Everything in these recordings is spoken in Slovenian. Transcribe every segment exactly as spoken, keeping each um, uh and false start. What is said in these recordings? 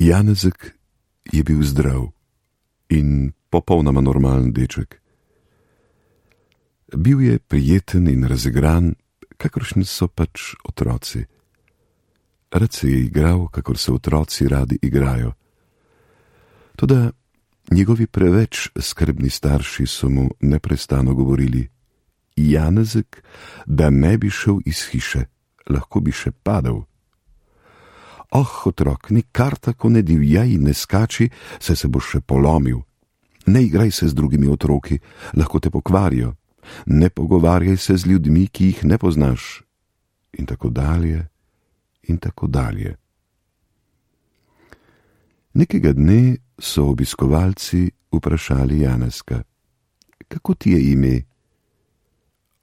Janezek je bil zdrav in popolnoma normalen deček. Bil je prijeten in razigran, kakršni so pač otroci. Rad se je igral, kakor se otroci radi igrajo. Toda njegovi preveč skrbni starši so mu neprestano govorili: Janezek, da ne bi šel iz hiše, lahko bi še padel. Oh, otrok, nikar tako ne divjaj in ne skači, saj se boš še polomil. Ne igraj se z drugimi otroki, lahko te pokvarijo. Ne pogovarjaj se z ljudmi, ki jih ne poznaš. In tako dalje, in tako dalje. Nekega dne so obiskovalci vprašali Janezka: Kako ti je ime?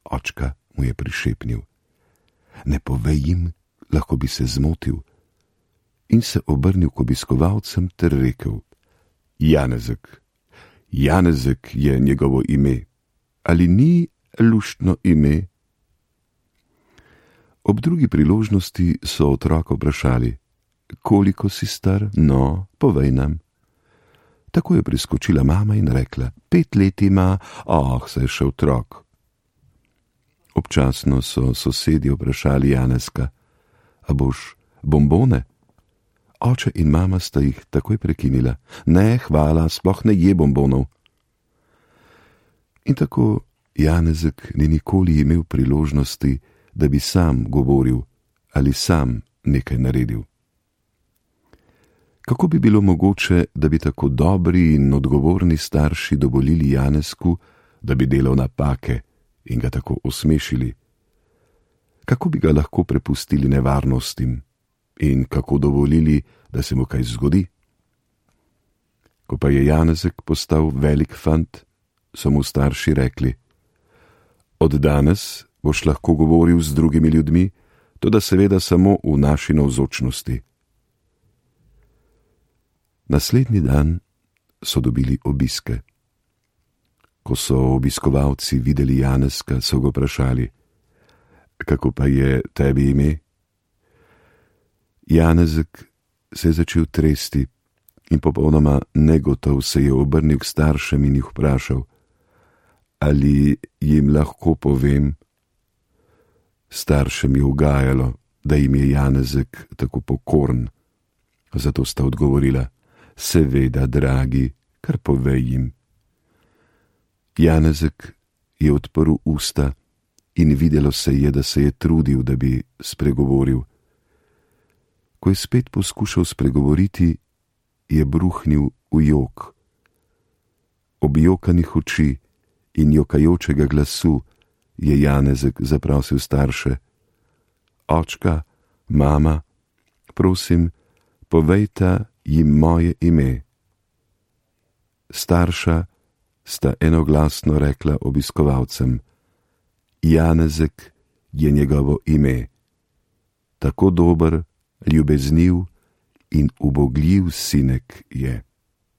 Očka mu je prišepnil: Ne povej jim, lahko bi se zmotil. In se obrnil k obiskovalcem ter rekel: Janezek, Janezek je njegovo ime. Ali ni luštno ime? Ob drugi priložnosti so otroka vprašali: Koliko si star? No, povej nam. Tako je priskočila mama in rekla: Pet let ima, oh, saj je še otrok. Občasno so sosedje vprašali Janezka: A boš bombone? Oče in mama sta jih takoj prekinila: Ne, hvala, sploh ne je bombonov. In tako Janezek ni nikoli imel priložnosti, da bi sam govoril ali sam nekaj naredil. Kako bi bilo mogoče, da bi tako dobri in odgovorni starši dovolili Janezku, da bi delal napake in ga tako osmešili? Kako bi ga lahko prepustili nevarnostim in kako dovolili, da se mu kaj zgodi? Ko pa je Janezek postal velik fant, so mu starši rekli: Od danes boš lahko govoril z drugimi ljudmi, toda seveda samo v naši navzočnosti. Naslednji dan so dobili obiske. Ko so obiskovalci videli Janezka, so ga vprašali: Kako pa je tebi ime? Janezek se je začel tresti in popolnoma negotov se je obrnil k staršem in jih vprašal: Ali jim lahko povem? Staršem je ugajalo, da jim je Janezek tako pokoren. Zato sta odgovorila: Seveda, dragi, kar povej jim. Janezek je odprl usta in videlo se je, da se je trudil, da bi spregovoril. Ko je spet poskušal spregovoriti, je bruhnil v jok. Objokanih oči in jokajočega glasu je Janezek zaprosil starše: Očka, mama, prosim, povejta jim moje ime. Starša sta enoglasno rekla obiskovalcem: Janezek je njegovo ime. Tako dober, ljubezniv in ubogljiv sinek je.